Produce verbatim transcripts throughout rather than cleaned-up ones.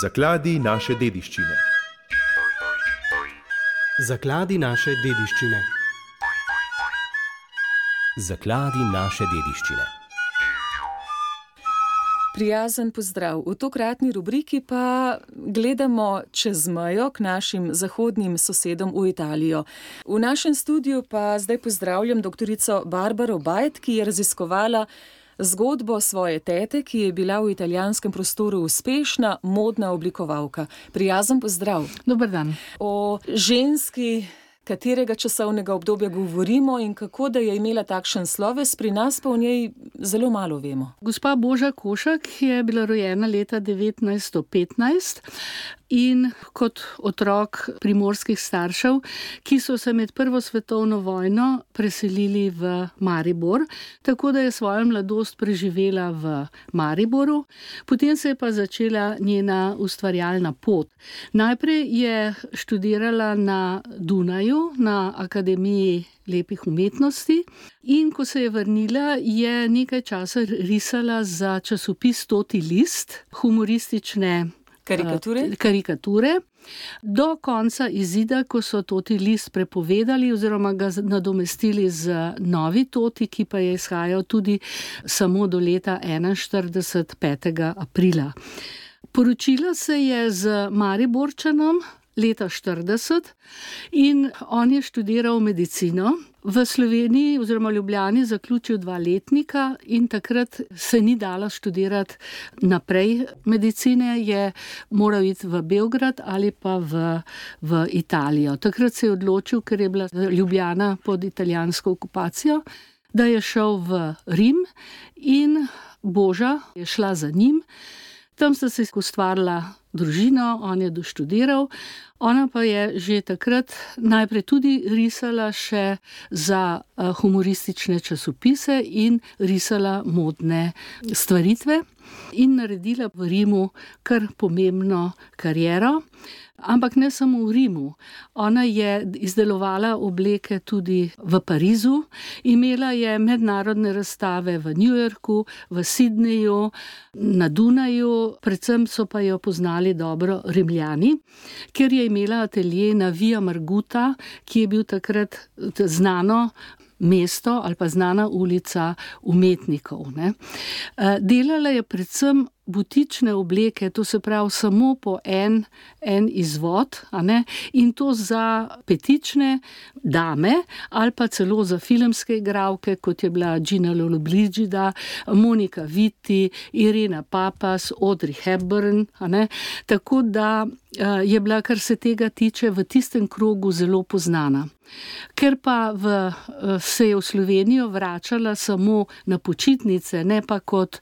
Zakladi naše dediščine. Zakladi naše dediščine. Zakladi naše dediščine. Prijazen pozdrav. V tokratni rubriki pa gledamo čez mejo k našim zahodnim sosedom v Italijo. V našem studiu pa zdaj pozdravljam doktorico Barbaro Bajt, ki je raziskovala zgodbo svoje tete, ki je bila v italijanskem prostoru uspešna modna oblikovalka. Prijazen pozdrav. Dober dan. O ženski, katerega časovnega obdobja govorimo in kako da je imela takšen sloves, pri nas pa o njej zelo malo vemo. Gospa Boža Košak je bila rojena leta devetnajststo petnajst in kot otrok primorskih staršev, ki so se med prvo svetovno vojno preselili v Maribor, tako da je svojo mladost preživela v Mariboru, potem se je pa začela njena ustvarjalna pot. Najprej je študirala na Dunaju, na Akademiji lepih umetnosti, in ko se je vrnila, je nekaj časa risala za časopis Toti list, humoristične Karikature? karikature. Do konca izida, ko so Toti list prepovedali oziroma ga nadomestili z Novi Toti, ki pa je izhajal tudi samo do leta enainštirideset, petega aprila. Poročila se je z Mariborčanom leta štirideset in on je študiral medicino. V Sloveniji oziroma Ljubljani zaključil dva letnika in takrat se ni dala študirati naprej medicine, je moral iti v Beograd ali pa v, v Italijo. Takrat se je odločil, ker je bila Ljubljana pod italijansko okupacijo, da je šel v Rim in Boža je šla za njim. Tam sta se ustvarila družino, on je doštudiral, ona pa je že takrat najprej tudi risala še za humoristične časopise in risala modne stvaritve in naredila v Rimu kar pomembno kariero. Ampak ne samo v Rimu. Ona je izdelovala obleke tudi v Parizu, imela je mednarodne razstave v New Yorku, v Sydneyju, na Dunaju, predvsem so pa jo poznali dobro Rimljani, ker je imela atelje na Via Marguta, ki je bil takrat znano mesto ali pa znana ulica umetnikov. Ne. Delala je predvsem butične obleke, to se pravi samo po en, en izvod, a ne, in to za petične dame ali pa celo za filmske igralke, kot je bila Gina Lollobrigida, Monica Vitti, Irena Papas, Audrey Hepburn, a ne, tako da je bila, kar se tega tiče, v tistem krogu zelo poznana. Ker pa v, se je v Slovenijo vračala samo na počitnice, ne pa kot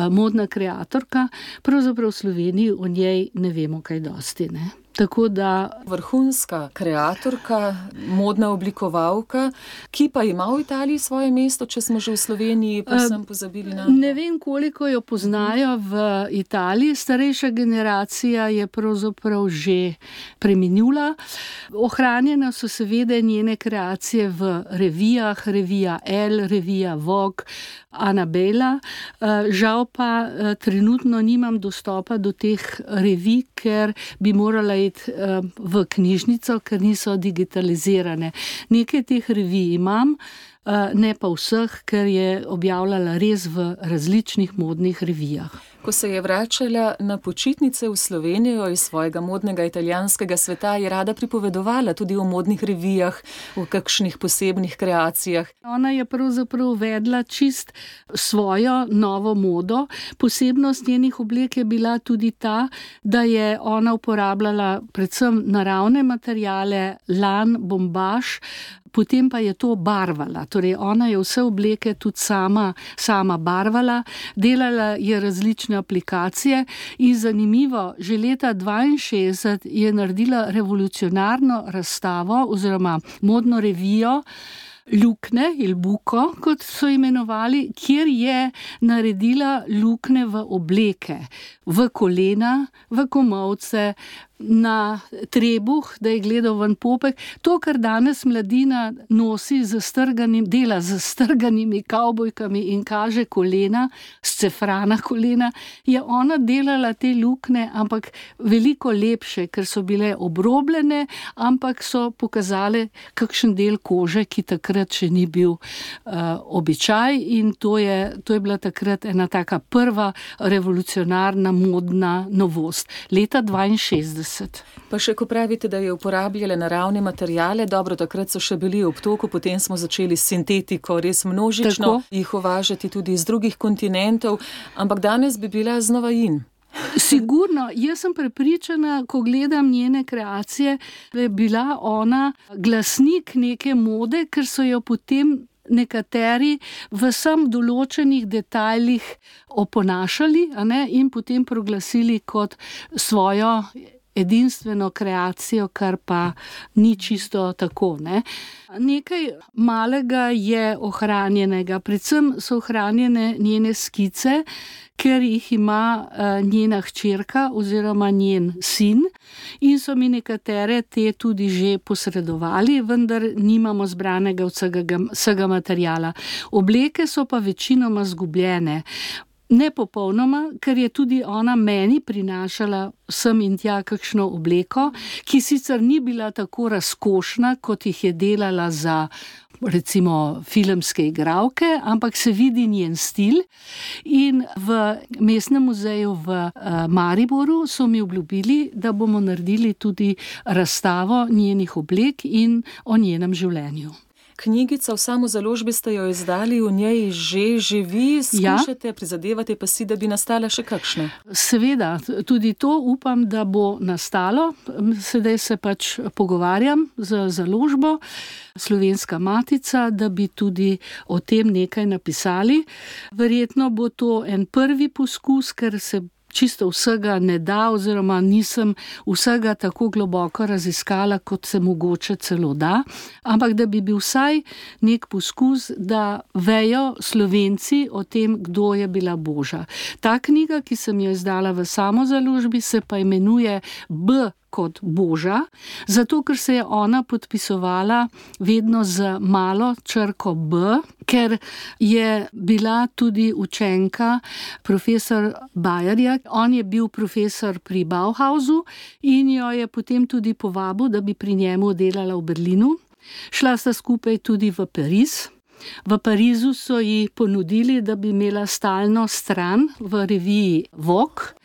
modna kreatorka, pravzaprav v Sloveniji o njej ne vemo kaj dosti, ne. Tako da vrhunska kreatorka, modna oblikovalka, ki pa ima v Italiji svoje mesto, če smo že v Sloveniji povsem pozabili na... Ne vem, koliko jo poznajo v Italiji, starejša generacija je pravzaprav že preminula. Ohranjene so seveda njene kreacije v revijah, revija Elle, revija Vogue, Annabella. Žal pa trenutno nimam dostopa do teh revij, ker bi morala v knjižnico, ker niso digitalizirane. Nekaj teh revij imam, ne pa vseh, ker je objavljala res v različnih modnih revijah. Ko se je vračala na počitnice v Slovenijo iz svojega modnega italijanskega sveta, je rada pripovedovala tudi o modnih revijah, o kakšnih posebnih kreacijah. Ona je pravzaprav uvedla čist svojo novo modo. Posebnost njenih oblek je bila tudi ta, da je ona uporabljala predvsem naravne materiale, lan, bombaž, potem pa je to barvala. Torej, ona je vse obleke tudi sama, sama barvala, delala je različne aplikacije in zanimivo, že leta dvainšestdeset je naredila revolucionarno razstavo oziroma modno revijo lukne, il buco, kot so imenovali, kjer je naredila lukne v obleke, v kolena, v komolce, na trebuh, da je gledal ven popek. To, kar danes mladina nosi z strganim, dela z strganimi kavbojkami in kaže kolena, scefrana kolena, je ona delala te lukne, ampak veliko lepše, ker so bile obrobljene, ampak so pokazale kakšen del kože, ki takrat še ni bil uh, običaj, in to je, to je bila takrat ena taka prva revolucionarna modna novost. Leta dvainšestdeset. Pa še ko pravite, da je uporabljala naravne materijale, dobro, takrat so še bili v obtoku, potem smo začeli s sintetiko, res množično Tako. jih uvažati tudi iz drugih kontinentov, ampak danes bi bila znova in. Sigurno, jaz sem prepričana, ko gledam njene kreacije, da je bila ona glasnik neke mode, ker so jo potem nekateri v sam določenih detajlih oponašali, a ne, in potem proglasili kot svojo edinstveno kreacijo, kar pa ni čisto tako, ne. Nekaj malega je ohranjenega, predvsem so ohranjene njene skice, ker jih ima uh, njena hčerka oziroma njen sin, in so mi nekatere te tudi že posredovali, vendar nimamo zbranega vsega, vsega materijala. Obleke so pa večinoma zgubljene. Ne popolnoma, ker je tudi ona meni prinašala sem in tja kakšno obleko, ki sicer ni bila tako razkošna, kot jih je delala za recimo filmske igralke, ampak se vidi njen stil, in v Mestnem muzeju v uh, Mariboru so mi obljubili, da bomo naredili tudi razstavo njenih oblek in o njenem življenju. Knjigica v samozaložbi ste jo izdali, v njej že živi, skušate, ja. prizadevate pa si, da bi nastala še kakšna? Seveda, tudi to upam, da bo nastalo. Sedaj se pač pogovarjam z založbo Slovenska matica, da bi tudi o tem nekaj napisali. Verjetno bo to en prvi poskus, ker se čisto vsega ne da, oziroma nisem vsega tako globoko raziskala, kot se mogoče celo da, ampak da bi bil vsaj nek poskus, da vejo Slovenci o tem, kdo je bila Boža. Ta knjiga, ki sem jo izdala v samozaložbi, se pa imenuje B kot Boža, zato ker se je ona podpisovala vedno z malo črko B, ker je bila tudi učenka profesor Bajerja. On je bil profesor pri Bauhausu in jo je potem tudi povabil, da bi pri njemu delala v Berlinu. Šla sta skupaj tudi v Pariz. V Parizu so ji ponudili, da bi imela stalno stran v reviji Vogue,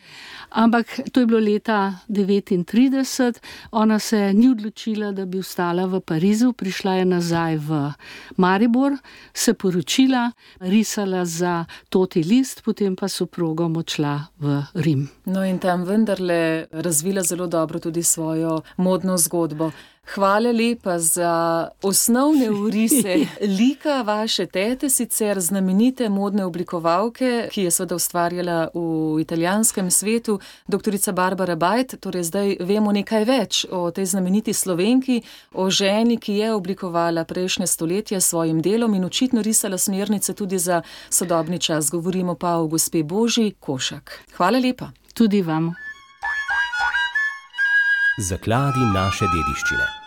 ampak to je bilo leta devetintrideset, ona se ni odločila, da bi ostala v Parizu, prišla je nazaj v Maribor, se poročila, risala za Toti list, potem pa s soprogom odšla v Rim. No in tam vendarle razvila zelo dobro tudi svojo modno zgodbo. Hvala lepa za osnovne orise lika vaše tete, sicer znamenite modne oblikovalke, ki je seveda ustvarjala v italijanskem svetu, doktorica Barbara Bajt. Torej zdaj vemo nekaj več o tej znameniti Slovenki, o ženi, ki je oblikovala prejšnje stoletje s svojim delom in očitno risala smernice tudi za sodobni čas. Govorimo pa o gospe Božji Košak. Hvala lepa. Tudi vam. Zakladi naše dediščine.